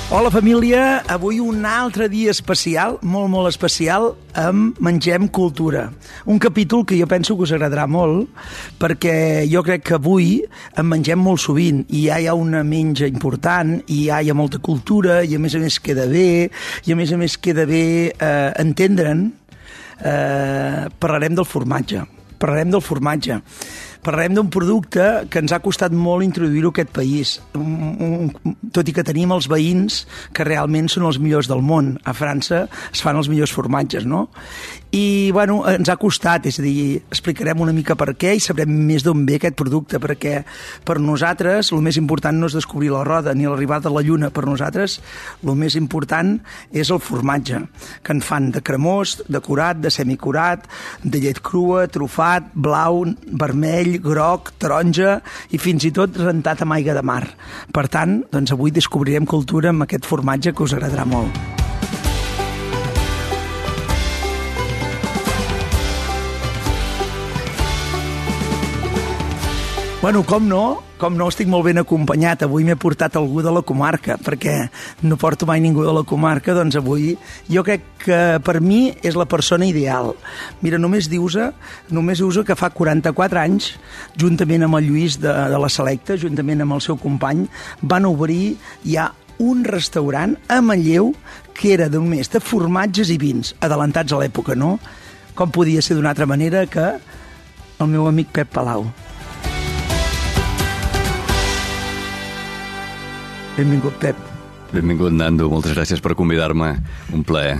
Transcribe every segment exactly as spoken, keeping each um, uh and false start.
Hola família, avui un altre dia especial, molt molt especial, amb Mengem Cultura. Un capítol que jo penso que us agradarà molt, perquè jo crec que avui en mengem molt sovint, i ja hi ha una menja important, i ja hi ha molta cultura, i a més a més queda bé, i a més a més queda bé eh, entendre'n. Eh, parlarem del formatge, parlarem del formatge. Parlarem d'un producte que ens ha costat molt introduir-ho a aquest país, un, un, tot i que tenim els veïns que realment són els millors del món. A França es fan els millors formatges, no? I, bueno, ens ha costat, és a dir, explicarem una mica per què i sabrem més d'on ve aquest producte, perquè per nosaltres el més important no és descobrir la roda ni l'arribada de la lluna. Per nosaltres el més important és el formatge, que en fan de cremós, de curat, de semicurat, de llet crua, trufat, blau, vermell, groc, taronja i fins i tot rentat amb aigua de mar. Per tant, doncs avui descobrirem cultura amb aquest formatge que us agradarà molt. Bueno, com no, com no, estic molt ben acompanyat. Avui m'he portat algú de la comarca, perquè no porto mai ningú de la comarca, doncs avui jo crec que per mi és la persona ideal. Mira, només dius-ho, només dius-ho que fa quaranta-quatre anys, juntament amb el Lluís de, de la Selecta, juntament amb el seu company, van obrir ja un restaurant a Manlleu que era només de formatges i vins, adelantats a l'època, no? Com podia ser d'una altra manera que el meu amic Pep Palau. Benvingut, Pep. Benvingut, Nando. Moltes gràcies per convidar-me. Un plaer.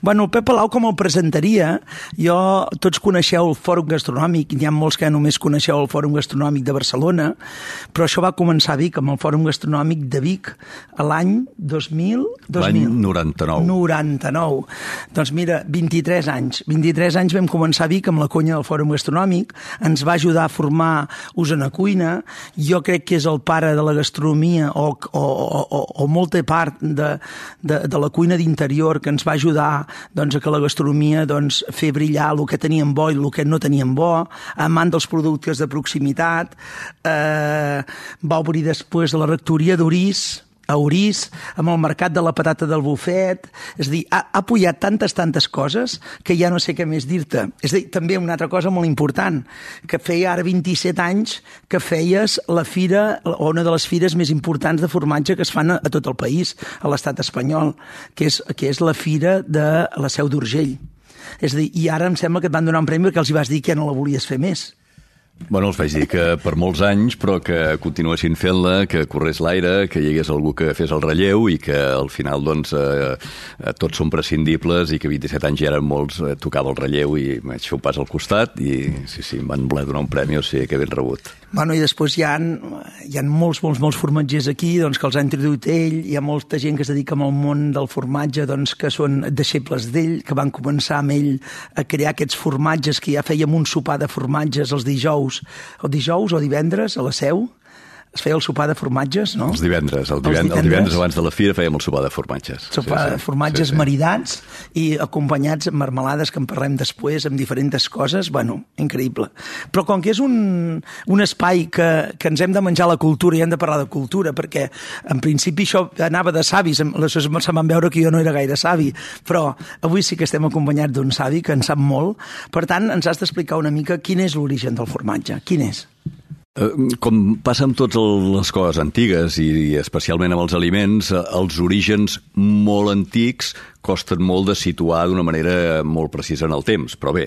Bueno, el Pep Palau, com el presentaria, jo, tots coneixeu el Fòrum Gastronòmic, hi ha molts que només coneixeu el Fòrum Gastronòmic de Barcelona, però això va començar a Vic, amb el Fòrum Gastronòmic de Vic, a l'any dos mil... L'any noranta-nou. noranta-nou. Doncs mira, vint-i-tres anys. vint-i-tres anys vam començar a Vic amb la conya del Fòrum Gastronòmic, ens va ajudar a formar Osona Cuina, jo crec que és el pare de la gastronomia o, o, o, o molta part de, de, de la cuina d'interior que ens va ajudar doncs, a que la gastronomia doncs, fer brillar el que teníem bo i el que no teníem bo, amant dels productes de proximitat. Eh, va obrir després de la rectoria d'Orís, a Orís, amb el mercat de la patata del bufet. És a dir, ha, ha apoyat tantes, tantes coses que ja no sé què més dir-te. És a dir, també una altra cosa molt important, que feia ara vint-i-set anys que feies la fira, o una de les fires més importants de formatge que es fan a, a tot el país, a l'estat espanyol, que és, que és la fira de la Seu d'Urgell. És a dir, i ara em sembla que et van donar un premi perquè els hi vas dir que ja no la volies fer més. Bueno, els vaig dir que per molts anys, però que continuessin fent-la, que corrés l'aire, que hi hagués algú que fes el relleu i que al final, doncs, eh, tots són prescindibles i que vint-i-set anys ja eren molts, eh, tocava el relleu i vaig fer un pas al costat i sí, sí, em van voler donar un premi, o sigui que ben rebut. Bueno, i després hi ha, hi ha molts, molts, molts formatgers aquí, doncs, que els ha introduït ell, hi ha molta gent que es dedica al món del formatge, doncs, que són deixebles d'ell, que van començar amb ell a crear aquests formatges, que ja fèiem un sopar de formatges els dijous, o dijous o divendres a la Seu, es feia el sopar de formatges, no? Els divendres, el divendres, divendres. el divendres abans de la fira fèiem el sopar de formatges. Sopar sí, sí. de formatges sí, sí. maridats i acompanyats amb marmelades que en parlem després, amb diferents coses, bueno, increïble. Però com que és un, un espai que, que ens hem de menjar la cultura i hem de parlar de cultura, perquè en principi això anava de savis, se van veure que jo no era gaire savi, però avui sí que estem acompanyats d'un savi que en sap molt, per tant ens has d'explicar una mica quin és l'origen del formatge, quin és? Com passa amb totes les coses antigues i especialment amb els aliments, els orígens molt antics costen molt de situar d'una manera molt precisa en el temps, però bé,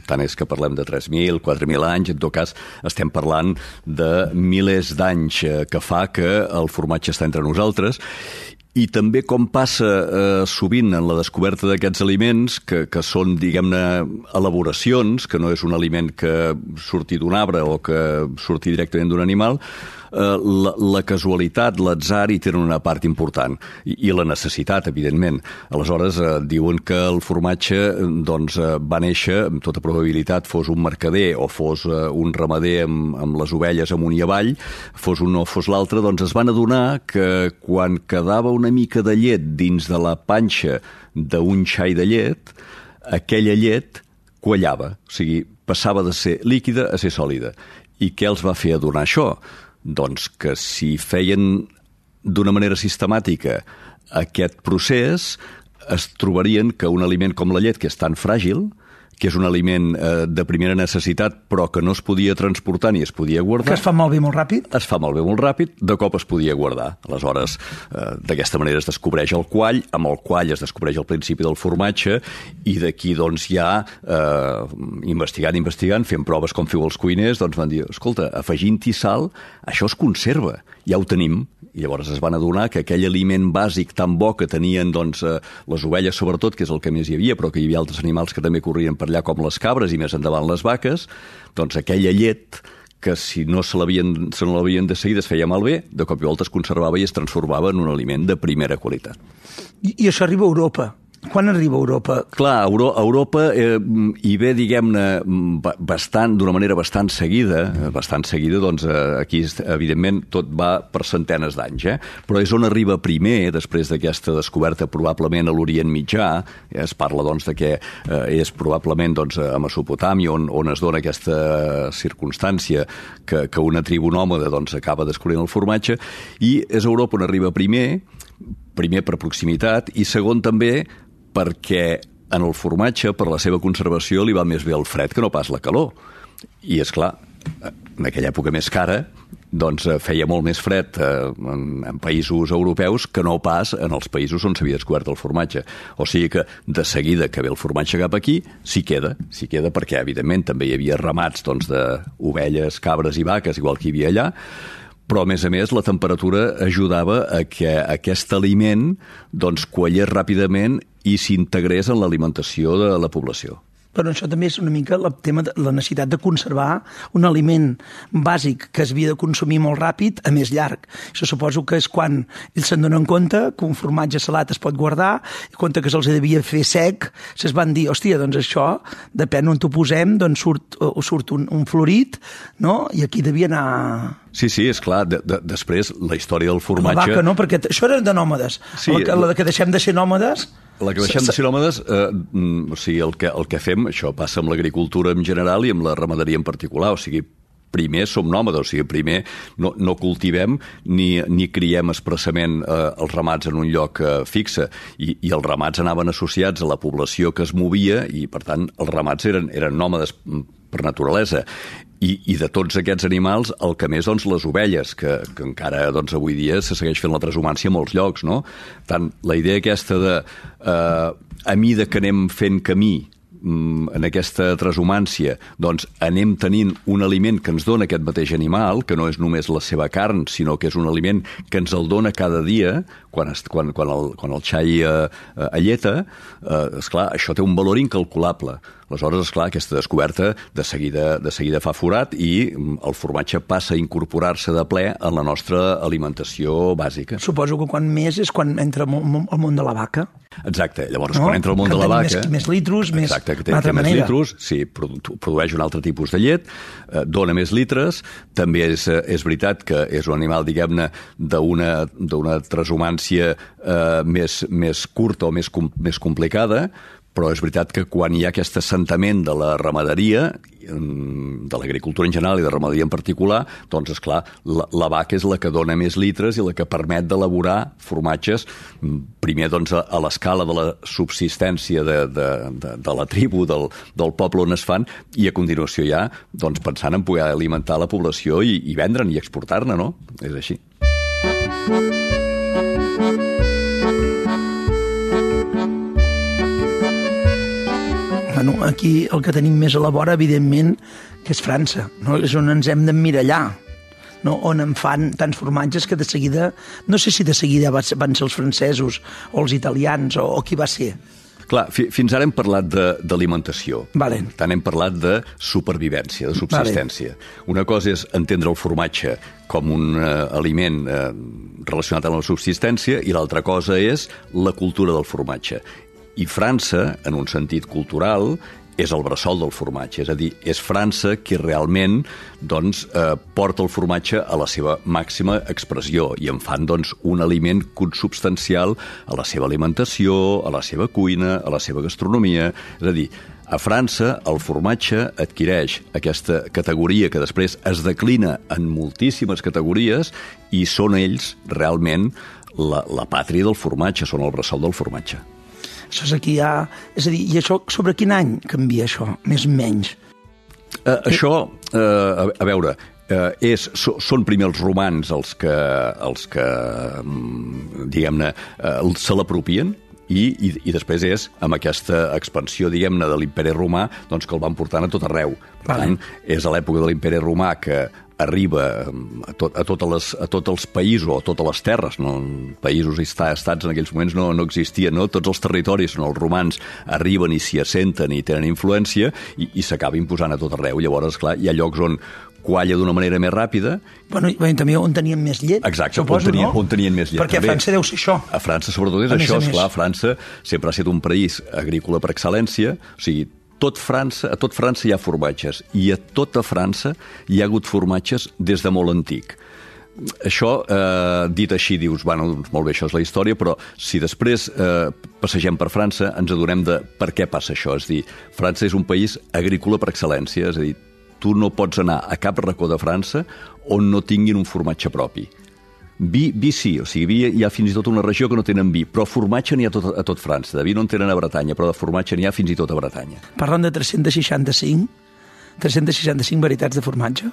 tant és que parlem de tres mil, quatre mil anys, en tot cas estem parlant de milers d'anys que fa que el formatge està entre nosaltres. I també com passa eh, sovint en la descoberta d'aquests aliments, que, que són, diguem-ne, elaboracions, que no és un aliment que surti d'un arbre o que surti directament d'un animal, eh, la, la casualitat, l'atzar hi tenen una part important, i, i la necessitat, evidentment. Aleshores, eh, diuen que el formatge doncs, eh, va néixer, amb tota probabilitat, fos un mercader o fos eh, un ramader amb, amb les ovelles amunt i avall, fos un o fos l'altre, doncs es van adonar que quan quedava una mica de llet dins de la panxa d'un xai de llet, aquella llet quallava, o sigui, passava de ser líquida a ser sòlida. I què els va fer adonar això? Doncs que si feien d'una manera sistemàtica aquest procés es trobarien que un aliment com la llet, que és tan fràgil, que és un aliment eh, de primera necessitat, però que no es podia transportar ni es podia guardar. Que es fa malbé molt ràpid? Es fa malbé molt ràpid, de cop es podia guardar. Aleshores, eh, d'aquesta manera es descobreix el quall, amb el quall es descobreix el principi del formatge, i d'aquí, doncs, ja, eh, investigant, investigant, fent proves com feu els cuiners, doncs van dir, escolta, afegint-hi sal, això es conserva, ja ho tenim. I llavors es van adonar que aquell aliment bàsic tan bo que tenien, doncs, eh, les ovelles sobretot, que és el que més hi havia, però que hi havia altres animals que també corrien per allà, com les cabres i més endavant les vaques, doncs aquella llet que si no se l'havien se no l'havien de seguida es feia malbé, de cop i volta es conservava i es transformava en un aliment de primera qualitat. I, i això arriba a Europa. Quan arriba a Europa? Clar, a Europa eh, hi ve, diguem-ne, bastant, d'una manera bastant seguida, bastant seguida, doncs eh, aquí, evidentment, tot va per centenes d'anys, eh? Però és on arriba primer, després d'aquesta descoberta probablement a l'Orient Mitjà, eh, es parla, doncs, de que eh, és probablement, doncs, a Mesopotàmia, on, on es dona aquesta circumstància que, que una tribu nòmada, doncs, acaba descobrint el formatge, i és a Europa on arriba primer, primer per proximitat, i segon també perquè en el formatge, per la seva conservació, li va més bé el fred que no pas la calor. I, és clar, en aquella època més cara, doncs feia molt més fred en, en països europeus que no pas en els països on s'havia descobert el formatge. O sigui que, de seguida que ve el formatge cap aquí, s'hi queda, s'hi queda perquè, evidentment, també hi havia ramats, doncs, d'ovelles, cabres i vaques, igual que hi havia allà, però, a més a més, la temperatura ajudava a que aquest aliment, doncs, quallés ràpidament i s'integrés en l'alimentació de la població. Però això també és una mica el tema de la necessitat de conservar un aliment bàsic que es havia de consumir molt ràpid a més llarg. Això suposo que és quan ells se'n donen compte que un formatge salat es pot guardar, i compte que se'ls devia fer sec, se'ls van dir, hòstia, doncs això, depèn on t'ho posem, doncs surt, surt un, un florit, no? I aquí devia anar... Sí, sí, és clar. De, de, després, la història del formatge... La vaca, no? Perquè això era de nòmades. Sí, la, la que deixem de ser nòmades... La que deixem de ser nòmades, eh, o sigui, el que, el que fem, això passa amb l'agricultura en general i amb la ramaderia en particular, o sigui, primer som nòmades, o sigui, primer no, no cultivem ni, ni criem expressament eh, els ramats en un lloc eh, fixe, i, i els ramats anaven associats a la població que es movia, i per tant els ramats eren, eren nòmades per naturalesa. I, i de tots aquests animals, el que més, doncs, les ovelles, que, que encara, doncs, avui dia se segueix fent la transhumància a molts llocs, no? Tant la idea aquesta de, eh, a mida que anem fent camí en aquesta transhumància, doncs anem tenint un aliment que ens dona aquest mateix animal, que no és només la seva carn, sinó que és un aliment que ens el dona cada dia, quan, es, quan, quan, el, quan el xai eh, alleta, eh, esclar, això té un valor incalculable. Aleshores, esclar, aquesta descoberta de seguida, de seguida fa forat i el formatge passa a incorporar-se de ple en la nostra alimentació bàsica. Suposo que quan més és quan entra al món de la vaca. Exacte, llavors no? Quan entra al món que de la vaca... Més, més litros, més... Exacte, que té, té més litros, sí, produeix un altre tipus de llet, eh, dona més litres, també és, és veritat que és un animal, diguem-ne, d'una transhumància eh, més, més curta o més, com, més complicada, però és veritat que quan hi ha aquest assentament de la ramaderia, de l'agricultura en general i de ramaderia en particular, doncs, esclar, la, la vaca és la que dona més litres i la que permet d'elaborar formatges, primer, doncs, a, a l'escala de la subsistència de, de, de, de la tribu, del, del poble on es fan, i a continuació ja, doncs, pensant en poder alimentar la població i, i vendre'n i exportar-ne, no? És així. Bueno, aquí el que tenim més a la vora, evidentment, que és França, no? És on ens hem d'emmirallar, no? On en fan tants formatges que de seguida, no sé si de seguida van ser els francesos o els italians o, o qui va ser. Clar, fi, fins ara hem parlat d'alimentació. Vale. Tant hem parlat de supervivència, de subsistència. Vale. Una cosa és entendre el formatge com un eh, aliment eh, relacionat amb la subsistència i l'altra cosa és la cultura del formatge. I França, en un sentit cultural, és el bressol del formatge. És a dir, és França qui realment, doncs, eh, porta el formatge a la seva màxima expressió i en fan, doncs, un aliment consubstancial a la seva alimentació, a la seva cuina, a la seva gastronomia. És a dir, a França el formatge adquireix aquesta categoria que després es declina en moltíssimes categories i són ells realment la, la pàtria del formatge, són el bressol del formatge. Això és aquí ja... És a dir, i això sobre quin any canvia això, més o menys? Eh, això, eh, a, a veure, eh, és, so, són primer els romans els que, els que diguem-ne, eh, se l'apropien, I, i, i després és, amb aquesta expansió, diguem-ne, de l'imperi romà, doncs que el van portant a tot arreu. Per tant, és a l'època de l'imperi romà que arriba a, tot, a, totes les, a tots els països, o a totes les terres, no? Països i estats en aquells moments no, no existien, no? Tots els territoris, no? Els romans arriben i s'hi assenten i tenen influència i, i s'acaba imposant a tot arreu. Llavors, clar, hi ha llocs on qualla d'una manera més ràpida. Bueno, i també on tenien més llet, Exacte, suposo, on tenien, no? on tenien més llet. Perquè també. a França deu ser això. A França, sobretot, és a això. Esclar, França sempre ha estat un país agrícola per excel·lència, o sigui, tot França, a tot França hi ha formatges, i a tota França hi ha hagut formatges des de molt antic. Això, eh, dit així, dius, bueno, doncs molt bé, això és la història, però si després eh, passegem per França, ens adonem de per què passa això. És a dir, França és un país agrícola per excel·lència, és a dir, tu no pots anar a cap racó de França on no tinguin un formatge propi. Vi, vi sí, o sigui, vi hi ha fins i tot una regió que no tenen vi, però formatge n'hi ha tot, a tot França. De vi no en tenen a Bretanya, però de formatge n'hi ha fins i tot a Bretanya. Parlen de tres-cents seixanta-cinc, tres-cents seixanta-cinc varietats de formatge?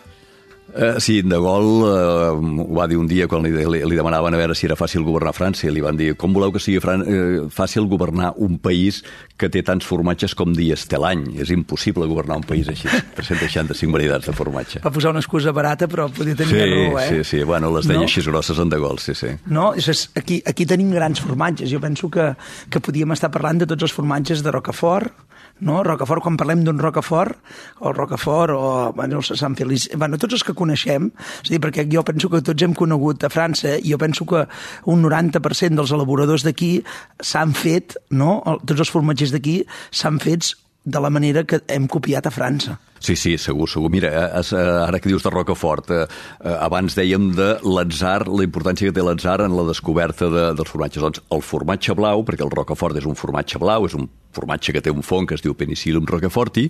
Uh, sí, De Gaulle uh, ho va dir un dia quan li, li, li demanaven a veure si era fàcil governar França, i li van dir, com voleu que sigui Fran uh, fàcil governar un país que té tants formatges com dies té l'any? És impossible governar un país així, tres-cents seixanta-cinc varietats de formatge. Va posar una excusa barata, però podia tenir sí, raó, eh? Sí, sí, bueno, les deia no? així grosses en De Gaulle, sí, sí. No, és, aquí, aquí tenim grans formatges. Jo penso que, que podíem estar parlant de tots els formatges de Rocafort, no? Rocafort, quan parlem d'un Rocafort, o Rocafort, o bueno, el Sant Feliç, bueno, tots els que coneixem, és a dir, perquè jo penso que tots hem conegut a França, i jo penso que un noranta per cent dels elaboradors d'aquí s'han fet, no? Tots els formatgers d'aquí s'han fets de la manera que hem copiat a França. Sí, sí, segur, segur. Mira, ara que dius de Rocafort, eh, abans dèiem de l'atzar, la importància que té l'atzar en la descoberta de, dels formatges. Doncs el formatge blau, perquè el Rocafort és un formatge blau, és un formatge que té un fong que es diu Penicillium roqueforti,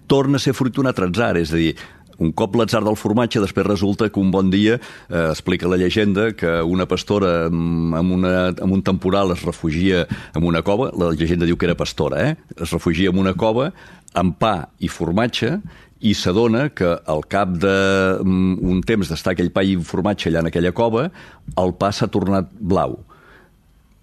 torna a ser fruit d'un altre atzar, és a dir, un cop l'atzar del formatge, després resulta que un bon dia, eh, explica la llegenda, que una pastora amb, una, amb un temporal es refugia en una cova, la llegenda diu que era pastora, eh? Es refugia en una cova amb pa i formatge, i s'adona que al cap d'un temps d'estar aquell pa i formatge allà en aquella cova, el pa s'ha tornat blau,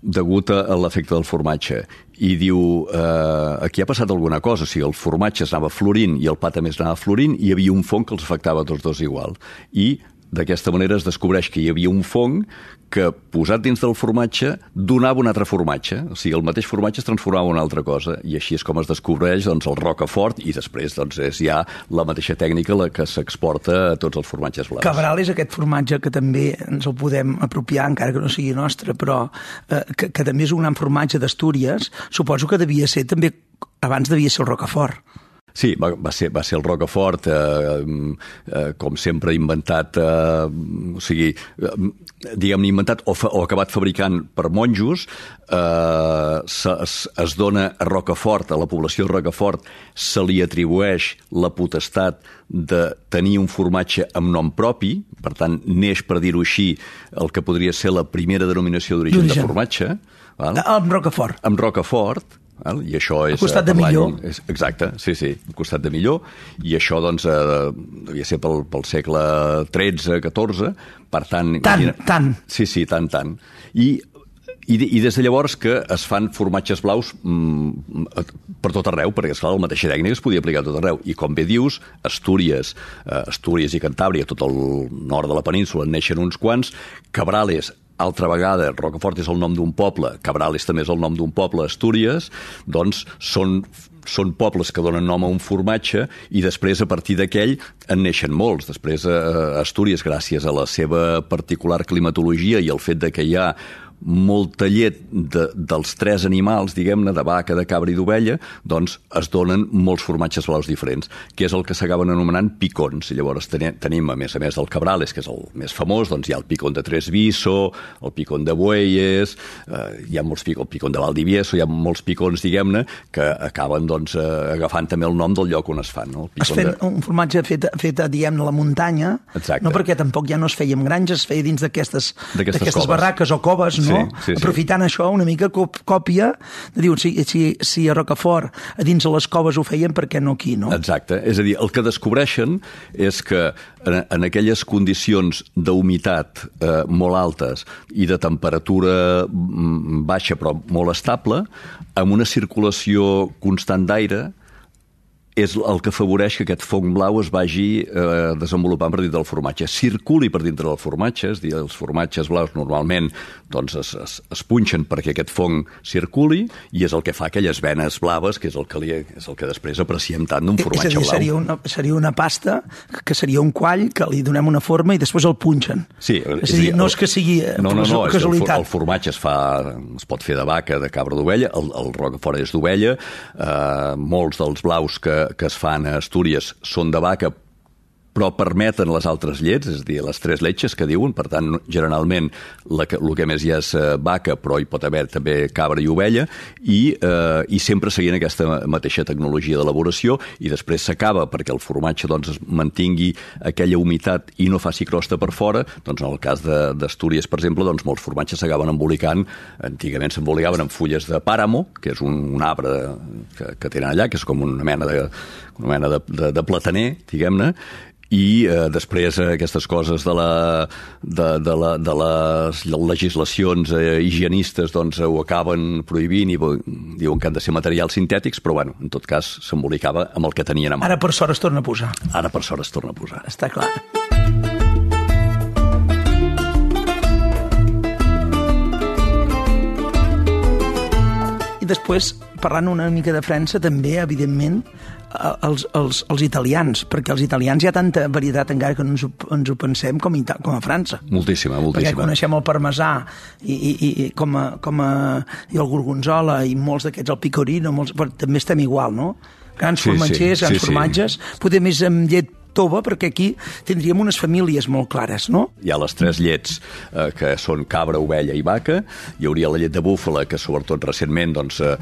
degut a l'efecte del formatge. I diu, eh, aquí ha passat alguna cosa, o sigui, el formatge es anava florint i el pa també es anava florint, i hi havia un fong que els afectava a tots dos igual. I d'aquesta manera es descobreix que hi havia un fong que, posat dins del formatge, donava un altre formatge. O sigui, el mateix formatge es transformava en una altra cosa, i així és com es descobreix, doncs, el Rocafort, i després doncs, és ja la mateixa tècnica la que s'exporta a tots els formatges blaus. Cabral és aquest formatge que també ens el podem apropiar, encara que no sigui nostre, però eh, que, que també és un gran formatge d'Astúries. Suposo que devia ser també, abans devia ser el Rocafort. Sí, va, va, ser, va ser el Rocafort, eh, eh, com sempre inventat, eh, o sigui, eh, diguem-ne inventat o, fa, o acabat fabricant per monjos, eh, se, es, es dona a Rocafort, a la població de Rocafort, se li atribueix la potestat de tenir un formatge amb nom propi, per tant, neix, per dir-ho així, el que podria ser la primera denominació d'origen de formatge. Val? Amb Rocafort. Amb Rocafort. Val? I això és, al costat de Millor. És, exacte, sí, sí, al costat de Millor. I això, doncs, eh, devia ser pel, pel segle tretze, catorze, per tant... Tant, imagina... tant. Sí, sí, tant, tant. I, i, I des de llavors que es fan formatges blaus mm, per tot arreu, perquè, esclar, la mateixa tècnica es podia aplicar a tot arreu. I, com bé dius, Astúries, eh, Astúries i Cantàbria, tot el nord de la península, en neixen uns quants. Cabrales, altra vegada, Rocafort és el nom d'un poble, Cabrales també és el nom d'un poble, Astúries, doncs són, són pobles que donen nom a un formatge, i després, a partir d'aquell, en neixen molts. Després, a Astúries, gràcies a la seva particular climatologia i el fet de que hi ha molta llet de, dels tres animals, diguem-ne, de vaca, de cabra i d'ovella, doncs es donen molts formatges blaus diferents, que és el que s'acaben anomenant picons. I llavors tenim, tenim, a més a més del Cabrales, que és el més famós, doncs hi ha el picón de Tresviso, el picón de Bueyes, eh, hi ha molts picons, el picón de Valdivieso, hi ha molts picons, diguem-ne, que acaben doncs, eh, agafant també el nom del lloc on es fan. No? Es feia de... un formatge fet, fet diguem-ne, a la muntanya, Exacte. No perquè tampoc ja no es feia en granges, es feia dins d'aquestes barraques o coves, no? Sí, sí, aprofitant sí. això una mica còpia de dir, si, si, si a Rocafort a dins de les coves ho feien, per què no aquí, no? Exacte, és a dir, el que descobreixen és que en, en aquelles condicions d'humitat eh, molt altes i de temperatura baixa però molt estable, amb una circulació constant d'aire, és el que afavoreix que aquest fong blau es vagi eh, desenvolupant per dintre del formatge. Circuli per dintre del formatge, és a dir, els formatges blaus normalment doncs, es, es, es punxen perquè aquest fong circuli i és el que fa aquelles venes blaves, que és el que, li, és el que després apreciem tant d'un formatge és a dir, blau. Seria una, seria una pasta que seria un quall que li donem una forma i després el punxen. Sí, és, és a dir, el, no és que sigui no, no, no, casualitat. El, el formatge es, fa, es pot fer de vaca, de cabra, d'ovella, el, el Rocafort és d'ovella, eh, molts dels blaus que que es fan a Astúries són de vaca, però permeten les altres llets, és a dir, les tres letxes que diuen, per tant, generalment la que, el que més hi ha és vaca, però hi pot haver també cabra i ovella, i, eh, i sempre seguint aquesta mateixa tecnologia d'elaboració, i després s'acaba perquè el formatge doncs, es mantingui aquella humitat i no faci crosta per fora. Doncs en el cas d'Astúries, per exemple, doncs, molts formatges s'acaben embolicant, antigament s'embolicaven amb fulles de pàramo, que és un, un arbre que, que tenen allà, que és com una mena de, una mena de, de, de plataner, diguem-ne, i eh, després eh, aquestes coses de, la, de, de, la, de les legislacions eh, higienistes doncs, ho acaben prohibint i diuen que han de ser materials sintètics, però bueno, en tot cas s'embolicava amb el que tenien a mà. Ara per sort es torna a posar. Ara per sort es torna a posar. Està clar. I després, parlant una mica de França, també, evidentment, els, els, els italians, perquè els italians hi ha tanta varietat encara que no ens ho, ens ho pensem com, Ita com a França. Moltíssima, moltíssima. Perquè coneixem el parmesà i, i, i, com a, com a, i el gorgonzola i molts d'aquests, el picorino, molts, però també estem igual, no? Grans sí, formatgers, sí, grans sí, formatges, sí. Potser més amb llet tova, perquè aquí tindríem unes famílies molt clares, no? Hi ha les tres llets eh, que són cabra, ovella i vaca, hi hauria la llet de búfala, que sobretot recentment doncs, eh,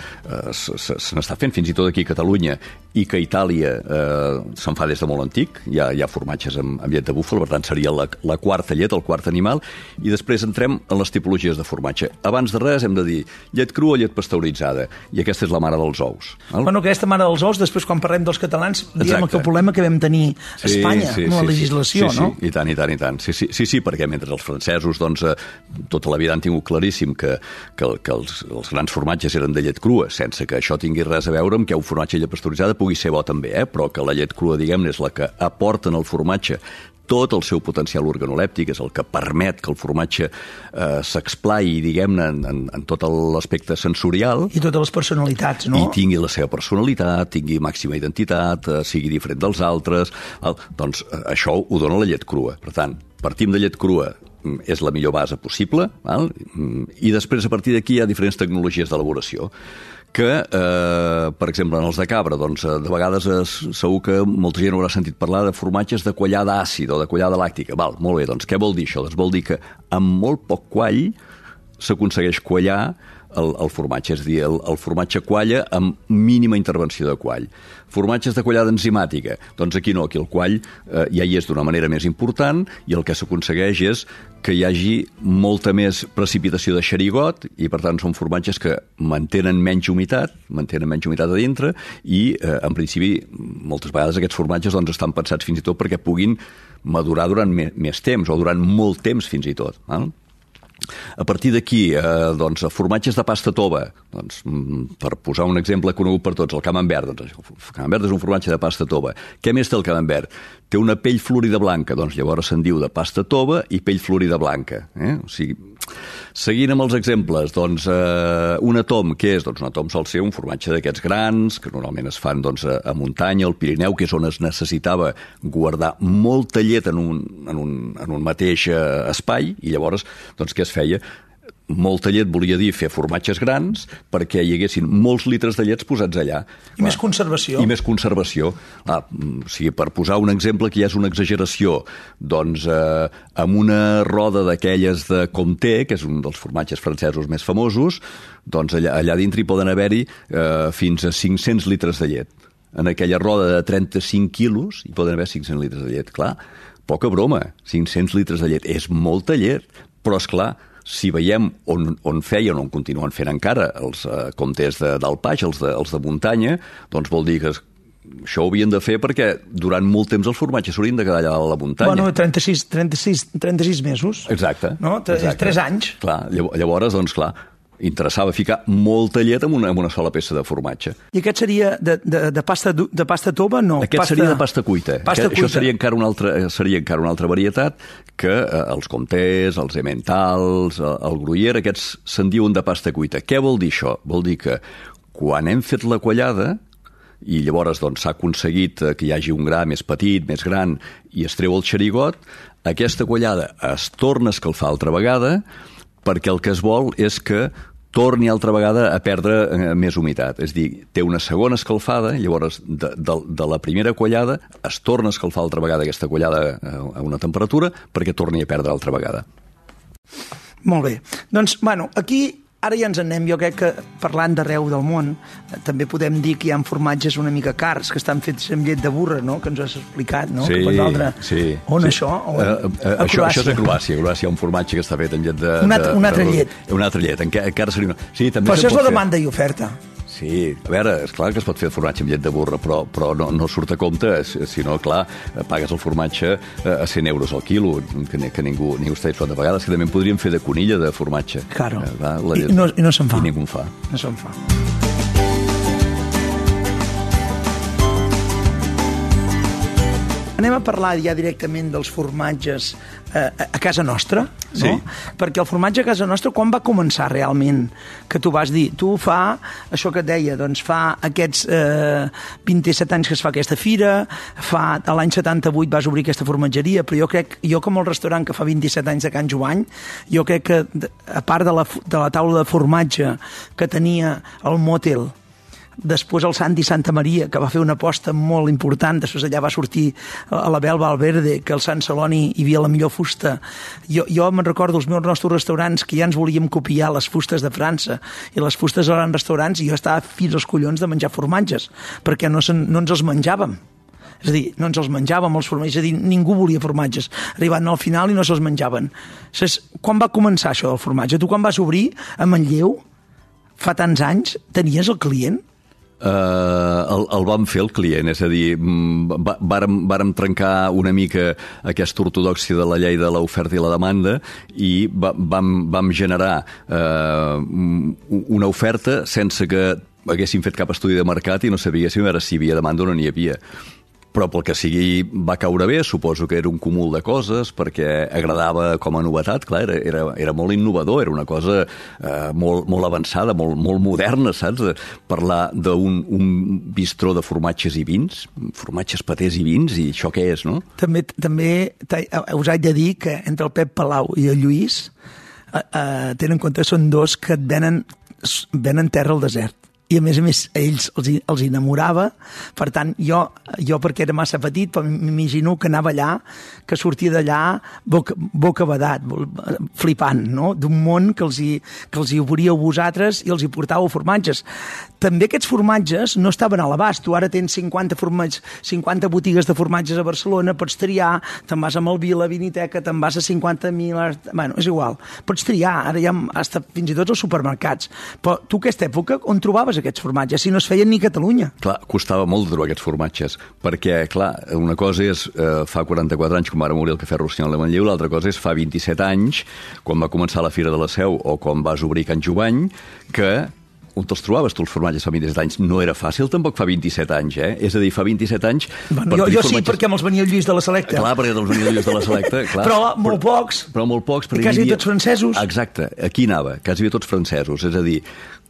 se n'està fent fins i tot aquí a Catalunya, i que a Itàlia eh, se'n fa des de molt antic, hi ha, hi ha formatges amb, amb llet de búfala, per tant seria la, la quarta llet, el quart animal, i després entrem en les tipologies de formatge. Abans de res hem de dir llet crua o llet pasteuritzada, i aquesta és la mare dels ous. Val? Bueno, aquesta mare dels ous, després quan parlem dels catalans, diguem que el problema que vam tenir a sí, Espanya, sí, amb la sí, legislació, sí, sí, no? Sí, i tant, i tant, i tant. Sí, sí, sí, sí, perquè mentre els francesos, doncs, eh, tota la vida han tingut claríssim que, que, que els, els grans formatges eren de llet crua, sense que això tingui res a veure amb que un formatge de llet pasteuritzada pugui ser bo també, eh? Però que la llet crua, diguem-ne, és la que aporta en el formatge tot el seu potencial organolèptic, és el que permet que el formatge eh, s'explai, diguem-ne, en, en, en tot l'aspecte sensorial. I totes les personalitats, no? I tingui la seva personalitat, tingui màxima identitat, eh, sigui diferent dels altres. El, doncs eh, això ho dona la llet crua. Per tant, partim de llet crua, és la millor base possible, val? I després a partir d'aquí hi ha diferents tecnologies d'elaboració que, eh, per exemple, en els de cabra, doncs, de vegades es, segur que molta gent haurà sentit parlar de formatges de quallada àcida o de quallada làctica. Val, molt bé, doncs què vol dir això? Doncs vol dir que amb molt poc quall s'aconsegueix quallar el, el formatge, és a dir, el, el formatge qualla amb mínima intervenció de quall. Formatges de quallada enzimàtica, doncs aquí no, aquí el quall eh, ja hi és d'una manera més important i el que s'aconsegueix és que hi hagi molta més precipitació de xerigot i per tant són formatges que mantenen menys humitat, mantenen menys humitat a dintre i eh, en principi moltes vegades aquests formatges doncs, estan pensats fins i tot perquè puguin madurar durant me més temps o durant molt temps fins i tot. Val? A partir d'aquí, eh, doncs, formatges de pasta tova, doncs, per posar un exemple conegut per tots, el camembert. Doncs, el camembert és un formatge de pasta tova. Què més té el camembert? Té una pell florida blanca, doncs llavors se'n diu de pasta tova i pell florida blanca. Eh? O sigui, seguint amb els exemples, doncs, eh, un atom, què és? Doncs un atom sol ser un formatge d'aquests grans, que normalment es fan doncs, a, a muntanya, al Pirineu, que és on es necessitava guardar molta llet en un, en un, en un mateix eh, espai, i llavors, doncs, què es feia? molta llet volia dir fer formatges grans perquè hi haguessin molts litres de llets posats allà. I més conservació. I més conservació. Ah, o sigui, per posar un exemple que ja és una exageració, doncs eh, amb una roda d'aquelles de Comté, que és un dels formatges francesos més famosos, doncs allà, allà dintre hi poden haver-hi eh, fins a cinc-cents litres de llet. En aquella roda de trenta-cinc quilos hi poden haver cinc-cents litres de llet. Clar, poca broma, cinc-cents litres de llet. És molta llet, però és clar, si veiem on, on feien, on continuen fent encara els eh, comtés de, d'Alpage, els de, els de muntanya, doncs vol dir que això ho havien de fer perquè durant molt temps els formatges s'haurien de quedar allà a la muntanya. Bueno, trenta-sis, trenta-sis, trenta-sis mesos. Exacte. No? Exacte. Tres anys. Clar, llavors, doncs clar, interessava ficar molta llet en una, en una sola peça de formatge. I aquest seria de, de, de, pasta, de pasta tova? No. Aquest pasta, seria de pasta cuita. Pasta Aquest, cuita. Això seria encara, una altra, seria encara una altra varietat que eh, els comtés, els emmentals, el, el gruyère, aquests se'n diuen de pasta cuita. Què vol dir això? Vol dir que quan hem fet la quallada i llavors doncs, s'ha aconseguit que hi hagi un gra més petit, més gran, i es treu el xerigot, aquesta quallada es torna a escalfar altra vegada perquè el que es vol és que torni altra vegada a perdre eh, més humitat. És a dir, té una segona escalfada, llavors de, de, de la primera quallada es torna a escalfar altra vegada aquesta quallada a una temperatura perquè torni a perdre altra vegada. Molt bé. Doncs, bueno, aquí ara ja ens anem, jo crec que parlant d'arreu del món, també podem dir que hi ha formatges una mica cars, que estan fets amb llet de burra, no? Que ens has explicat, no? Sí, que per sí. On sí. això? On? Uh, uh, a això, això és a Croàcia. A Croàcia hi ha un formatge que està fet amb llet de... Una altra, de, una altra de, llet. Una altra llet, encara, encara seria una... Sí, també però això és la fer. demanda i oferta. Sí, a veure, és clar que es pot fer formatge amb llet de burra, però, però no, no surt a compte, si no, clar, pagues el formatge a cent euros al quilo, que, que ningú, ningú està disposat a pagar, que també en podríem fer de conilla de formatge. Claro, eh, va, la I, no, i no se'n fa. I ningú en fa. No se'n fa. Anem a parlar ja directament dels formatges eh, a casa nostra, no? Sí. Perquè el formatge a casa nostra, quan va començar realment? Que tu vas dir, tu fa, això que et deia, doncs fa aquests eh, vint-i-set anys que es fa aquesta fira, fa l'any setanta-vuit vas obrir aquesta formatgeria, però jo crec, jo com el restaurant que fa vint-i-set anys de Can Jovany, jo crec que, a part de la, de la taula de formatge que tenia el Motel, després el Santi Santa Maria, que va fer una aposta molt important, després allà va sortir a la Bel Valverde, que al Sant Celoni hi havia la millor fusta. Jo, jo me'n recordo els meus nostres restaurants que ja ens volíem copiar les fustes de França i les fustes als restaurants, i jo estava fins als collons de menjar formatges, perquè no, sen, no ens els menjàvem. És a dir, no ens els menjàvem els formatges, és a dir, ningú volia formatges. Arribant al final i no se'ls menjaven. Saps, quan va començar això del formatge? Tu quan vas obrir a Manlleu, fa tants anys, tenies el client? Uh, el, el vam fer el client, és a dir, va, vàrem, vàrem trencar una mica aquesta ortodòxia de la llei de l'oferta i la demanda i va, vam, vam generar uh, una oferta sense que haguéssim fet cap estudi de mercat i no sabíéssim ara si hi havia demanda o no n'hi havia. Però pel que sigui va caure bé, suposo que era un cúmul de coses, perquè agradava com a novetat, clar, era, era, era molt innovador, era una cosa eh, molt, molt avançada, molt, molt moderna, saps? Parlar d'un un bistró de formatges i vins, formatges, patés i vins, i això què és, no? També, també us haig de dir que entre el Pep Palau i el Lluís eh, eh, tenen en compte que són dos que et venen, venen terra al desert. I a més a més a ells els, els enamorava, per tant jo, jo perquè era massa petit m'imagino que anava allà, que sortia d'allà boca, boca badat, flipant, no? D'un món que els, hi, que els hi obríeu vosaltres i els hi portàveu formatges. També aquests formatges no estaven a l'abast. Tu ara tens cinquanta, formatges, cinquanta botigues de formatges a Barcelona, pots triar, te'n vas a Malvila, a Viniteca, te'n vas a cinquanta mil... Bueno, és igual, pots triar, ara ja hasta fins i tot als supermercats. Però tu aquesta època on trobaves aquests formatges, si no es feien ni a Catalunya? Clar, costava molt de trobar aquests formatges, perquè, clar, una cosa és eh, fa quaranta-quatre anys, quan va morir el Cafè Rossinyol de Manlleu, l'altra cosa és fa vint-i-set anys, quan va començar la Fira de la Seu o quan vas obrir Can Jovany, que on te'ls trobaves tu els formatges fa vint-i-set anys? No era fàcil tampoc fa vint-i-set anys, eh? És a dir, fa vint-i-set anys... Bueno, jo jo formatges... sí, perquè me'ls venia el Lluís de la Selecta. Clar, perquè te'ls venia el Lluís de la Selecta, clar. Però molt pocs. Però molt pocs. I quasi tots francesos. Exacte, aquí anava, quasi tots francesos. És a dir,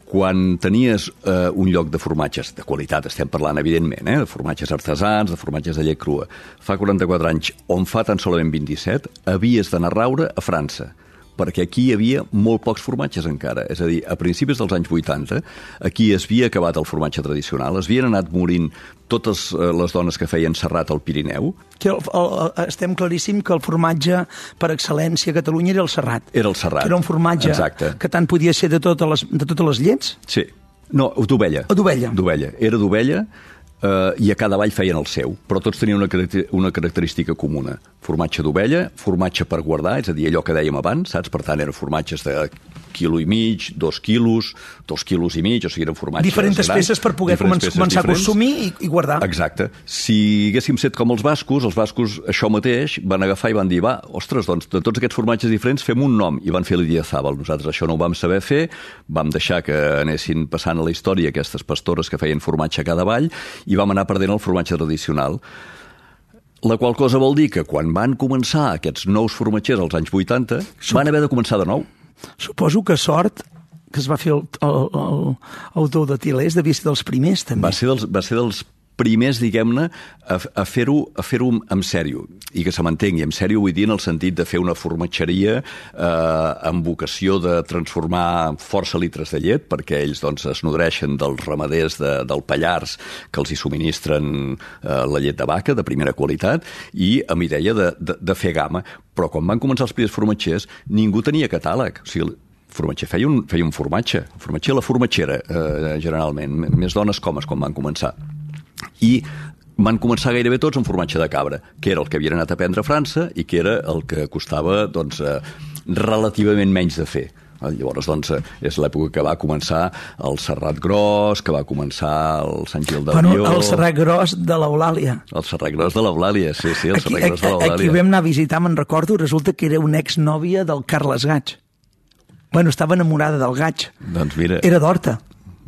quan tenies eh, un lloc de formatges de qualitat, estem parlant evidentment, eh, de formatges artesans, de formatges de llet crua, fa quaranta-quatre anys, on fa tan solament vint-i-set, havies d'anar a raure a França, perquè aquí hi havia molt pocs formatges encara. És a dir, a principis dels anys vuitanta, aquí es havia acabat el formatge tradicional, es havien anat morint totes les dones que feien serrat al Pirineu. Que el, el, estem claríssim que el formatge per excel·lència a Catalunya era el serrat. Era el serrat. Que era un formatge Exacte. Que tant podia ser de totes les, de totes les llets. Sí. No, d'ovella. O d'ovella. D'ovella. Era d'ovella, eh, i a cada vall feien el seu, però tots tenien una, una característica comuna. Formatge d'ovella, formatge per guardar, és a dir, allò que dèiem abans, saps? Per tant, eren formatges de quilo i mig, dos quilos, dos quilos i mig, o sigui, eren formatges diferents grans, peces per poder començar, començar a consumir i, i guardar. Exacte. Si haguéssim set com els bascos, els bascos això mateix van agafar i van dir, va, ostres, doncs de tots aquests formatges diferents fem un nom, i van fer l'Idiazábal. Nosaltres això no ho vam saber fer, vam deixar que anessin passant a la història aquestes pastores que feien formatge a cada vall i vam anar perdent el formatge tradicional. La qual cosa vol dir que quan van començar aquests nous formatgers als anys vuitanta, van haver de començar de nou. Suposo que Sort, que es va fer el, el, el, el autor de Tilés, devia ser dels primers, també. Va ser dels, va ser dels primers, diguem-ne, a, a fer-ho a fer-ho en sèrio, i que se m'entengui. En sèrio vull dir en el sentit de fer una formatgeria eh, amb vocació de transformar força litres de llet, perquè ells doncs, es nodreixen dels ramaders de, del Pallars que els hi subministren eh, la llet de vaca de primera qualitat, i amb idea de, de, de fer gamma. Però quan van començar els primers formatgers, ningú tenia catàleg. O sigui, el formatger feia un, feia un formatge. El formatger la formatgera, eh, generalment. Més dones com es quan van començar. I van començar gairebé tots amb formatge de cabra, que era el que havien anat a aprendre a França i que era el que costava doncs, eh, relativament menys de fer. Llavors, doncs, és l'època que va començar el Serrat Gros, que va començar el Sant Gil d'Avió... Bueno, el Serrat Gros de l'Eulàlia. El Serrat Gros de l'Eulàlia, sí, sí, el aquí, Serrat Gros de l'Eulàlia. Aquí vam anar a visitar, me'n recordo, resulta que era una exnòvia del Carles Gaig. Bueno, estava enamorada del Gaig. Doncs mira... Era d'Horta.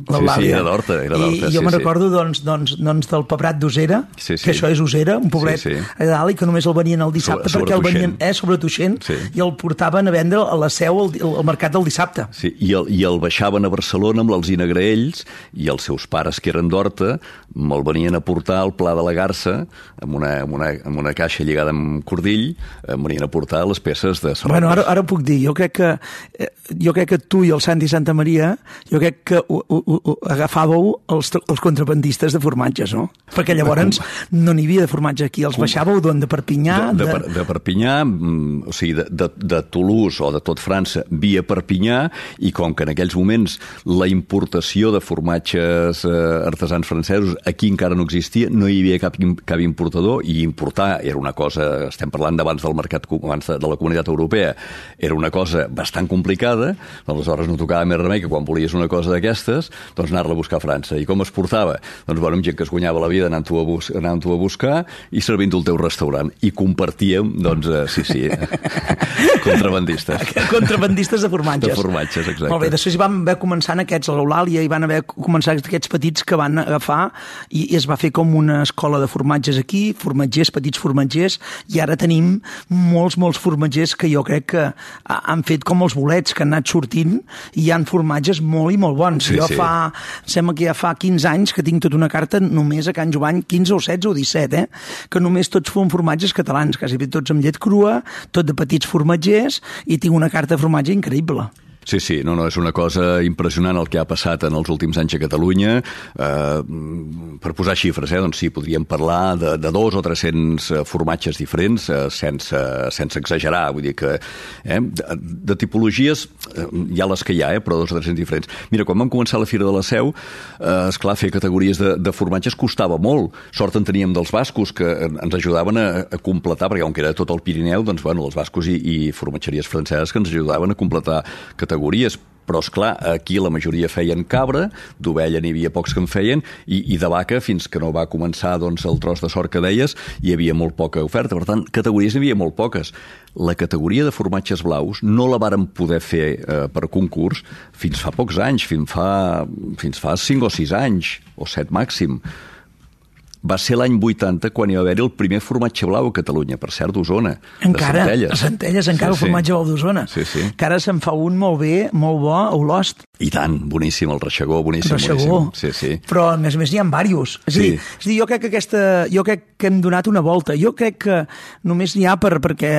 Sí, sí, era d'Horta. Era I jo sí, me'n sí. recordo doncs, doncs, doncs del Pebrat d'Osera, sí, sí. que això és Osera, un poblet sí, sí. a dalt, i que només el venien el dissabte, sobre, perquè el venien sobre eh, sobre Tuixent, sí. i el portaven a vendre a la seu al, al mercat del dissabte. Sí, i el, i el baixaven a Barcelona amb l'Alzina Graells, i els seus pares, que eren d'Horta, me'l venien a portar al Pla de la Garça, amb una, amb una, amb una caixa lligada amb cordill, em venien a portar les peces de Serrat. Bueno, ara, ara ho puc dir, jo crec que eh, jo crec que tu i el Santi Santa Maria, jo crec que ho, ho, ho, agafàveu els, els contrabandistes de formatges, no? Perquè llavors no n'hi havia de formatge aquí, els baixàveu d'on? De Perpinyà? De, de, de, de Perpinyà, o sigui, de, de, de Toulouse o de tot França via Perpinyà, i com que en aquells moments la importació de formatges eh, artesans francesos aquí encara no existia, no hi havia cap, cap importador, i importar era una cosa, estem parlant d'abans del mercat, abans de, de la Comunitat Europea, era una cosa bastant complicada, aleshores no tocava més remei que quan volies una cosa d'aquestes, doncs anar-la a buscar a França. I com es portava? Doncs bueno, amb gent que es guanyava la vida anant-ho a, bus anant a buscar i servint-ho al teu restaurant. I compartíem, doncs, eh, sí, sí, contrabandistes. Contrabandistes de formatges. De formatges, exacte. Molt bé, després van haver començant aquests a l'Eulàlia, i van haver començat aquests petits que van agafar, i, i es va fer com una escola de formatges aquí, formatgers, petits formatgers, i ara tenim molts, molts formatgers que jo crec que han fet com els bolets, que han anat sortint, i hi ha formatges molt i molt bons. Sí, jo sí. fa, sembla que ja fa quinze anys que tinc tota una carta només a Can Jovany, quinze o setze o disset, eh? Que només tots fon formatges catalans, quasi tots amb llet crua, tot de petits formatgers, i tinc una carta de formatge increïble. Sí, sí, no, no, és una cosa impressionant el que ha passat en els últims anys a Catalunya. Eh, per posar xifres, eh, doncs sí, podríem parlar de, de dos o tres-cents formatges diferents, eh, sense, sense exagerar, vull dir que eh, de, de tipologies eh, hi ha les que hi ha, eh, però dos o tres-cents diferents. Mira, quan vam començar la Fira de la Seu, eh, esclar, fer categories de, de formatges costava molt. Sort en teníem dels bascos, que ens ajudaven a, a completar, perquè com que era tot el Pirineu, doncs, bueno, els bascos i, i formatgeries franceses que ens ajudaven a completar categories, però, esclar, aquí la majoria feien cabra, d'ovella n'hi havia pocs que en feien, i, i de vaca, fins que no va començar doncs, el tros de sort que deies, hi havia molt poca oferta. Per tant, categories n'hi havia molt poques. La categoria de formatges blaus no la vàrem poder fer eh, per concurs fins fa pocs anys, fins fa, fins fa cinc o sis anys, o set màxim. va ser l'any vuitanta quan hi va haver-hi el primer formatge blau a Catalunya, per cert, d'Osona. Encara, de Centelles. a Centelles, encara sí, el formatge sí. blau d'Osona. Sí, sí. Que ara se'n fa un molt bé, molt bo, a Olost. I tant, boníssim, el Reixegó, boníssim, Reixegó. boníssim. Sí, sí. Però, a més a més, n'hi ha diversos. És, sí. a dir, és a dir, jo crec que aquesta... Jo crec que hem donat una volta. Jo crec que només n'hi ha per, perquè...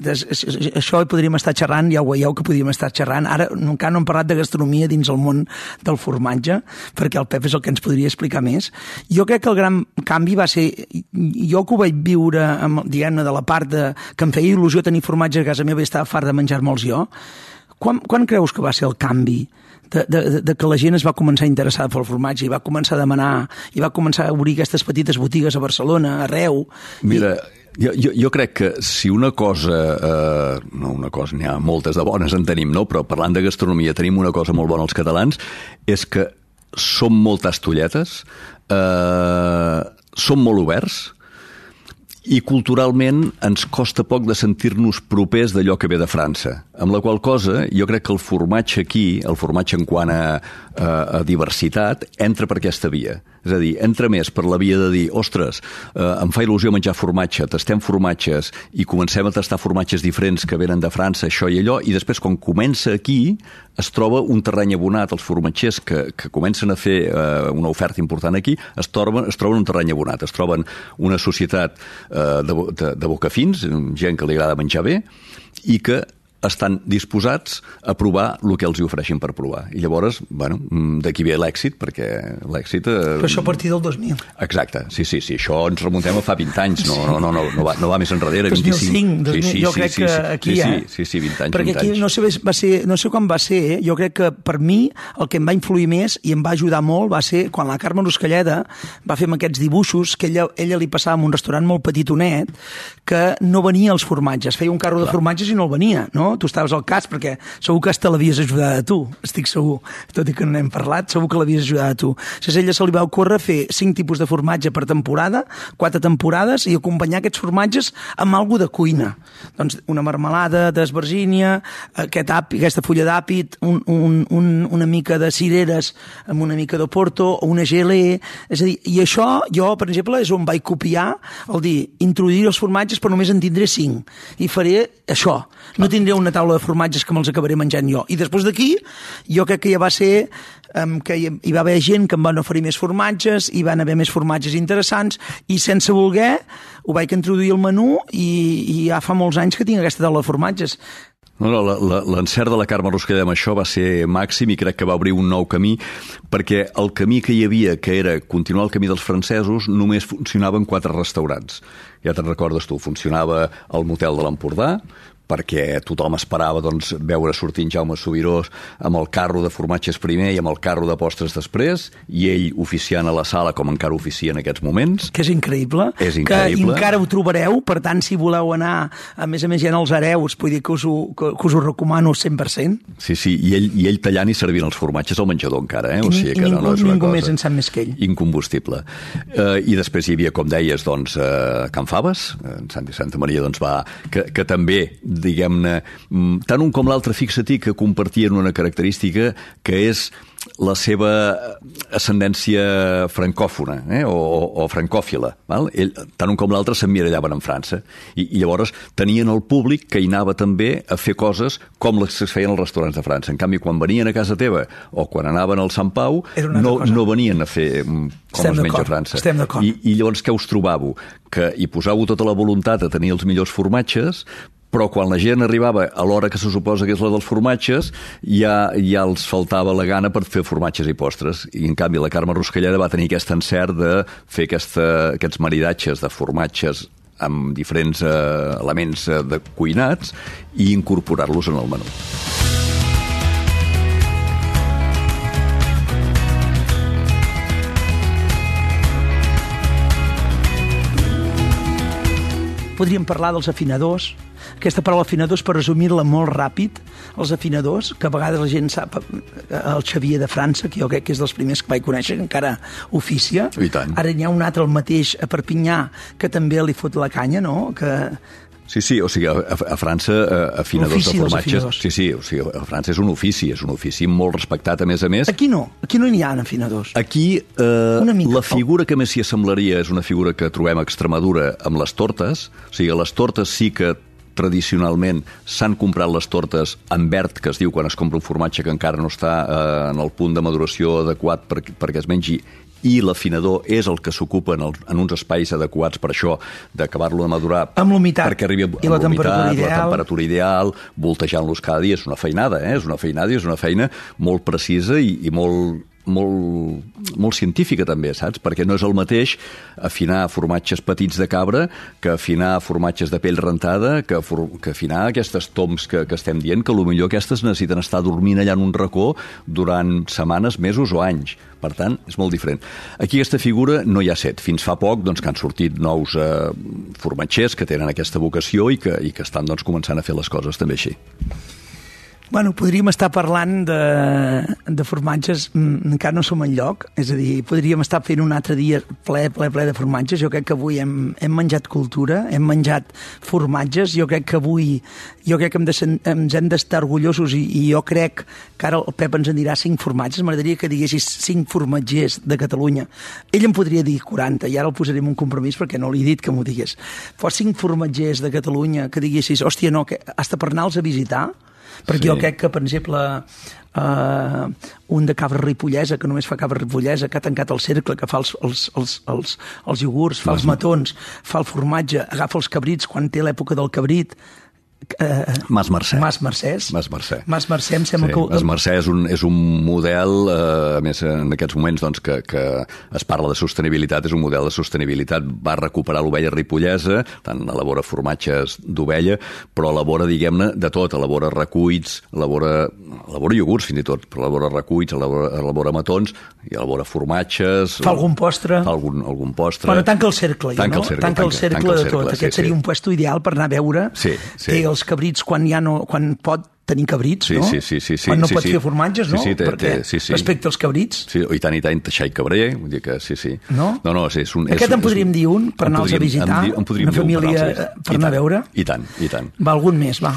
Des, això hi podríem estar xerrant, ja ho veieu que podríem estar xerrant. Ara encara no hem parlat de gastronomia dins el món del formatge, perquè el Pep és el que ens podria explicar més. Jo crec que el gran canvi va ser... Jo que ho vaig viure, amb, diguem-ne, de la part de, que em feia il·lusió tenir formatge a casa meva i estava fart de menjar-me'ls jo. Quan, quan creus que va ser el canvi de, de, de que la gent es va començar a interessar pel formatge i va començar a demanar i va començar a obrir aquestes petites botigues a Barcelona, arreu? Mira... I... Jo, jo, jo crec que si una cosa, eh, no una cosa, n'hi ha moltes de bones en tenim, no? Però parlant de gastronomia tenim una cosa molt bona els catalans, és que som molt tastolletes, eh, som molt oberts, i culturalment ens costa poc de sentir-nos propers d'allò que ve de França. Amb la qual cosa, jo crec que el formatge aquí, el formatge en quant a, a, a diversitat, entra per aquesta via. És a dir, entra més per la via de dir, ostres, eh, em fa il·lusió menjar formatge, tastem formatges i comencem a tastar formatges diferents que venen de França, això i allò, i després quan comença aquí es troba un terreny abonat. Els formatgers que, que comencen a fer eh, una oferta important aquí es troben, es troben un terreny abonat, es troben una societat eh, de, de, de bocafins, gent que li agrada menjar bé, i que estan disposats a provar el que els hi ofereixin per provar. I llavors, bueno, d'aquí ve l'èxit, perquè l'èxit... Eh... Però això a partir del dos mil. Exacte, sí, sí, sí. Això ens remuntem a fa vint anys, no, no, no, no, no, va, no va més enrere, dos mil cinc, vint-i-cinc. dos mil, sí, sí, jo crec sí, que sí, aquí sí, ja... Sí, sí, sí, vint anys, perquè vint aquí anys. no sé, va ser, no sé quan va ser, eh? Jo crec que per mi el que em va influir més i em va ajudar molt va ser quan la Carme Ruscalleda va fer amb aquests dibuixos que ella, ella li passava en un restaurant molt petitonet que no venia als formatges, feia un carro Clar. de formatges i no el venia, no? Tu estaves al cas perquè segur que hasta l'havies ajudat a tu, estic segur, tot i que no n'hem parlat, segur que l'havies ajudat a tu. Llavors ella se li va ocórrer fer cinc tipus de formatge per temporada, quatre temporades, i acompanyar aquests formatges amb alguna de cuina. Doncs una marmelada d'esvergínia, aquest api, aquesta fulla d'àpid, un, un, un, una mica de cireres amb una mica de porto, o una gelée, és a dir, i això jo, per exemple, és on vaig copiar el dir, introduir els formatges però només en tindré cinc, i faré això. No tindré una taula de formatges que me'ls acabaré menjant jo. I després d'aquí, jo crec que ja va ser um, que hi, hi va haver gent que em van oferir més formatges, hi van haver més formatges interessants, i sense voler ho vaig introduir al menú i, i ja fa molts anys que tinc aquesta taula de formatges. No, no, l'encert de la Carme Ruscalleda amb això va ser màxim i crec que va obrir un nou camí, perquè el camí que hi havia, que era continuar el camí dels francesos, només funcionava en quatre restaurants. Ja te'n recordes tu, funcionava el Motel de l'Empordà, perquè tothom esperava doncs, veure sortint Jaume Subirós amb el carro de formatges primer i amb el carro de postres després, i ell oficiant a la sala com encara oficia en aquests moments. Que és increïble. És increïble. Que encara ho trobareu, per tant, si voleu anar, a més a més, ja en els hereus, vull dir que us ho, que, que us ho recomano cent per cent. Sí, sí, i ell, i ell tallant i servint els formatges al menjador encara, eh? O sigui que ningú, no, no és una ningú cosa més en sap més que ell. Incombustible. Uh, I després hi havia, com deies, doncs, uh, Can Faves, en Santi Santa Maria, doncs va, que, que també diguem-ne, tant un com l'altre, fixa-t'hi que compartien una característica que és la seva ascendència francòfona, eh? o, o francòfila. Val? Ell, tant un com l'altre s'emmirallaven en França i, i llavors tenien el públic que hi anava també a fer coses com les que es feien als restaurants de França. En canvi, quan venien a casa teva o quan anaven al Sant Pau, no, no venien a fer com Estem es menja a França. I, I llavors què us trobàveu? Que hi posàveu tota la voluntat a tenir els millors formatges, però quan la gent arribava a l'hora que se suposa que és la dels formatges, ja, ja els faltava la gana per fer formatges i postres. I, en canvi, la Carme Ruscalleda va tenir aquest encert de fer aquesta, aquests maridatges de formatges amb diferents eh, elements eh, de cuinats i incorporar-los en el menú. Podríem parlar dels afinadors. Aquesta paraula afinadors, per resumir-la molt ràpid, els afinadors, que a vegades la gent sap, el Xavier de França, que jo crec que és dels primers que vaig conèixer, que encara oficia. I tant. Ara n'hi ha un altre, el mateix, a Perpinyà, que també li fot la canya, no? Que Sí, sí, o sigui, a, a França, afinadors de formatges... Sí, sí, o sigui, a França és un ofici, és un ofici molt respectat, a més a més. Aquí no, aquí no n'hi ha afinadors. Aquí eh, mica, la figura que més s'hi assemblaria és una figura que trobem a Extremadura amb les tortes. O sigui, les tortes sí que tradicionalment s'han comprat les tortes en verd, que es diu quan es compra un formatge que encara no està eh, en el punt de maduració adequat per, perquè es mengi, i l'afinador és el que s'ocupa en, en uns espais adequats per això, d'acabar-lo de madurar amb l'humitat perquè arribi i la temperatura ideal, la temperatura ideal, voltejant-los cada dia. És una feinada, eh? és una feinada i és una feina molt precisa i, i molt, molt, molt científica també, saps? Perquè no és el mateix afinar formatges petits de cabra que afinar formatges de pell rentada, que, for, que afinar aquestes toms que, que estem dient, que potser aquestes necessiten estar dormint allà en un racó durant setmanes, mesos o anys. Per tant, és molt diferent. Aquí aquesta figura no hi ha set. Fins fa poc doncs, que han sortit nous eh, formatgers que tenen aquesta vocació i que, i que estan doncs, començant a fer les coses també així. Bueno, podríem estar parlant de, de formatges, encara no som enlloc, és a dir, podríem estar fent un altre dia ple, ple, ple de formatges. Jo crec que avui hem, hem menjat cultura, hem menjat formatges, jo crec que avui jo crec que hem de, ens hem d'estar orgullosos i, i jo crec que ara el Pep ens en dirà cinc formatges, m'agradaria que diguessis cinc formatgers de Catalunya. Ell em podria dir quaranta, i ara el posarem un compromís perquè no li he dit que m'ho digués. Però cinc formatgers de Catalunya que diguessis, hòstia, no, que hasta per anar-los a visitar, perquè sí. Jo crec que, per exemple, uh, un de cabra ripollesa, que només fa cabra ripollesa, que ha tancat el cercle, que fa els, els, els, els, els iogurts, fa els matons, fa el formatge, agafa els cabrits quan té l'època del cabrit. Uh, Mas Mercè. Mas Mercès. Mas Mercè. Mas Mercè em sembla sí, que... Mas Mercè és un, és un model, eh, a més en aquests moments doncs, que, que es parla de sostenibilitat, és un model de sostenibilitat, va recuperar l'ovella ripollesa, tant elabora formatges d'ovella, però elabora, diguem-ne, de tot, elabora recuits, elabora, elabora iogurts fins i tot, però elabora recuits, elabora, elabora matons, i elabora formatges... Fa algun postre. Fa algun, algun postre. Però tanca el cercle, tanca no? El cercle, tanca el cercle, tanca el cercle de tot. Sí, Aquest seria sí. un puesto ideal per anar a veure sí, sí. que els cabrits quan ja no, quan pot tenir cabrits, sí, no? Sí, sí, sí, sí, quan no sí, pot sí. fer formatges, no? Sí, sí, té, Perquè té, sí, sí. respecte als cabrits... Sí, i tant, i tant, Teixai Cabrer, vull dir que sí, sí. No? No, no, sí, és un... Aquest és, en podríem és, dir un per anar-los a visitar, en, en una família per, per anar a veure. I tant, i tant. Va, algun més, va.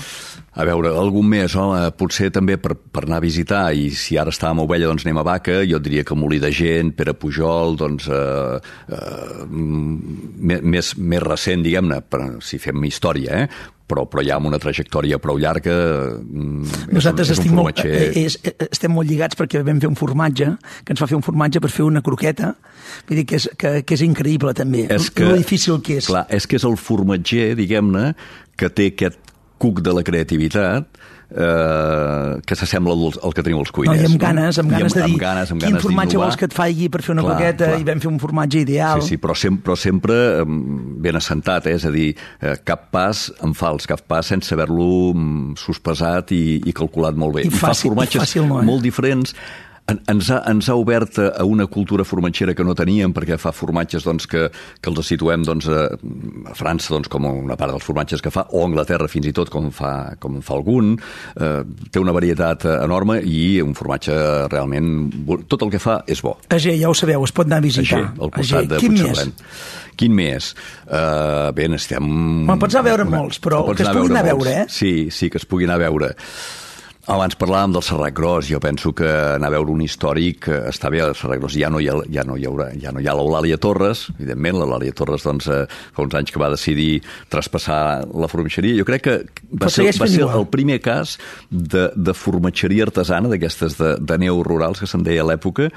A veure, algun més, home, potser també per, per anar a visitar, i si ara estàvem a Ovella, doncs anem a Vaca, jo et diria que Molí de Gent, Pere Pujol, doncs, eh, eh, més, més recent, diguem-ne, si fem història, eh? Però, però ja amb una trajectòria prou llarga. Nosaltres és un, és estem, un molt, és, estem molt lligats perquè vam fer un formatge, que ens va fer un formatge per fer una croqueta, vull dir que és, que, que és increïble també, és que, lo difícil que és. Clar, és que és el formatger, diguem-ne, que té aquest cuc de la creativitat eh, que s'assembla al, al que tenim els cuiners. No, I amb ganes, amb ganes amb, de dir, amb ganes, amb quin formatge vols que et faci per fer una clar, coqueta, clar. I vam fer un formatge ideal. Sí, sí, però sempre, però sempre ben assentat, eh? És a dir, cap pas en fals, cap pas sense haver-lo sospesat i, i calculat molt bé. I, fàcil, I fa formatges i fàcil, no, eh? molt diferents. Ens ha, ens ha obert a una cultura formatgera que no teníem, perquè fa formatges doncs, que, que els situem doncs, a, a França doncs, com una part dels formatges que fa, o a Anglaterra fins i tot com fa, com fa algun. Eh, té una varietat enorme i un formatge realment... Tot el que fa és bo. Ager, ja ho sabeu, es pot anar a visitar. Ager, al costat de Puigcerrent. Quin més? Uh, bé, estem... Bueno, pots anar a veure una, molts, però que es puguin anar a veure, eh? Sí, sí, que es puguin anar a veure. Abans parlàvem del Serrat Gros, jo penso que anar a veure un històric està bé, el Serrat Gros ja no hi ha, ja no hi haurà, ja no hi ha l'Eulàlia Torres, evidentment, l'Eulàlia Torres doncs, fa uns anys que va decidir traspassar la formatgeria. Jo crec que va ser, va ser el primer cas de, de formatgeria artesana, d'aquestes de, de neorurals que se'n deia a l'època,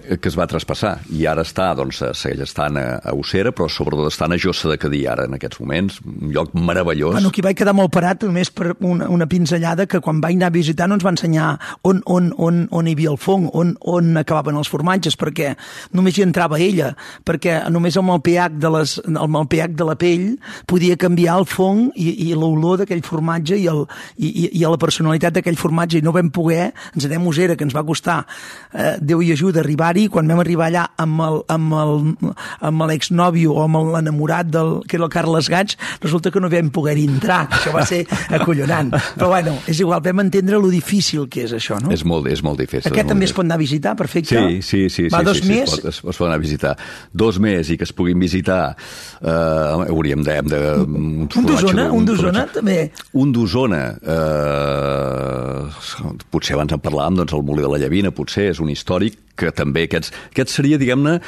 que es va traspassar, i ara està, doncs, segueix estant a, a Ossera, però sobretot estan a Jossa de Cadí, ara, en aquests moments, un lloc meravellós. Bueno, aquí vaig quedar molt parat, només per una, una pinzellada, que quan vaig anar a visitar no ens va ensenyar on, on, on, on hi havia el fong, on, on acabaven els formatges, perquè només hi entrava ella, perquè només amb el pH de, les, amb el pH de la pell podia canviar el fong i, i l'olor d'aquell formatge i, el, i, i, i la personalitat d'aquell formatge, i no vam poder, ens anem a Ossera, que ens va costar, eh, Déu i ajuda, arribar contrari, quan vam arribar allà amb el, amb el, amb l'exnòvio o amb l'enamorat del, que era el Carles Gats, resulta que no vam poder entrar, això va ser acollonant. Però bueno, és igual, vam entendre lo difícil que és això, no? És molt, és molt difícil. Aquest també es pot anar a visitar, perfecte. Sí, sí, sí. Va, sí, dos sí, més? Sí, es, pot, es, es pot anar a visitar. Dos més i que es puguin visitar, eh, hauríem de... de un d'Osona, un d'Osona també. Un d'Osona, eh, potser abans en parlàvem, doncs el Molí de la Llavina, potser és un històric que també aquests, aquest seria, diguem-ne,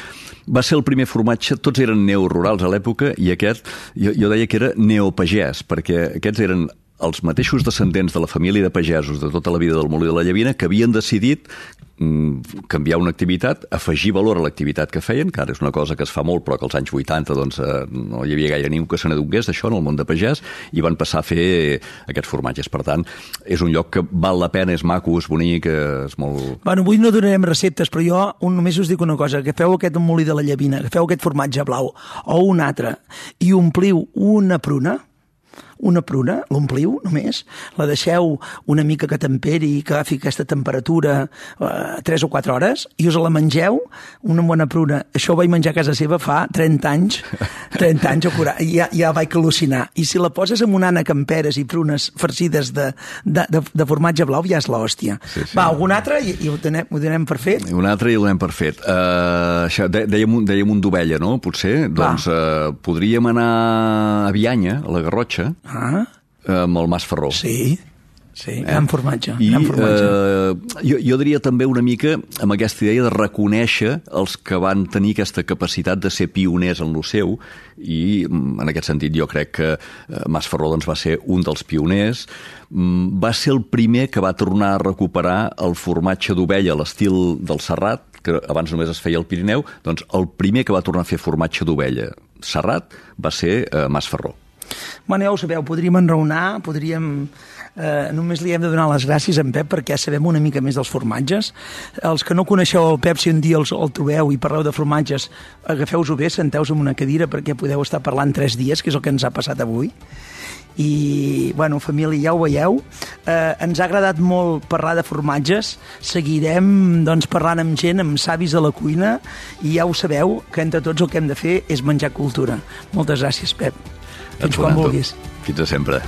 va ser el primer formatge, tots eren neorurals a l'època i aquest, jo, jo deia que era neopagès, perquè aquests eren els mateixos descendents de la família de pagesos de tota la vida del Molí de la Llavina que havien decidit mm, canviar una activitat, afegir valor a l'activitat que feien, que ara és una cosa que es fa molt, però que als anys vuitanta doncs, eh, no hi havia gaire ningú que se n'adonés d'això en el món de pagès, i van passar a fer aquests formatges. Per tant, és un lloc que val la pena, és maco, és bonic, és molt... Bueno, avui no donarem receptes, però jo un, només us dic una cosa, que feu aquest Molí de la Llavina, que feu aquest formatge blau o un altre, i ompliu una pruna, una pruna, l'ompliu només, la deixeu una mica que temperi, que agafi aquesta temperatura eh, tres o quatre hores, i us la mengeu, una bona pruna. Això ho vaig menjar a casa seva fa trenta anys, trenta anys, i ja, ja vaig al·lucinar. I si la poses amb un ànec amb peres i prunes farcides de, de, de, de formatge blau, ja és l'hòstia. Sí, sí. Va, algun altre i, i ho, donem, ho donem per fet? Un altre i ho donem per fet. Uh, això, dèiem, dèiem un d'ovella, no? Potser. Va. Doncs uh, podríem anar a Bianya, a la Garrotxa, Ah. amb el Mas Ferró. Sí, sí, eh? gran formatge. I gran formatge. Eh, jo, jo diria també una mica amb aquesta idea de reconèixer els que van tenir aquesta capacitat de ser pioners en lo seu, i en aquest sentit jo crec que Mas Ferró doncs, va ser un dels pioners. Va ser el primer que va tornar a recuperar el formatge d'ovella a l'estil del Serrat, que abans només es feia al Pirineu. Doncs el primer que va tornar a fer formatge d'ovella Serrat va ser eh, Mas Ferró. Bueno, ja ho sabeu, podríem enraonar, podríem... Eh, només li hem de donar les gràcies a en Pep perquè sabem una mica més dels formatges. Els que no coneixeu el Pep, si un dia els, el trobeu i parleu de formatges, agafeu-vos-ho bé, senteu-vos en una cadira perquè podeu estar parlant tres dies, que és el que ens ha passat avui. I, bueno, família, ja ho veieu. Eh, ens ha agradat molt parlar de formatges. Seguirem, doncs, parlant amb gent, amb savis de la cuina, i ja ho sabeu, que entre tots el que hem de fer és menjar cultura. Moltes gràcies, Pep. Fins quan vulguis. Fins a sempre.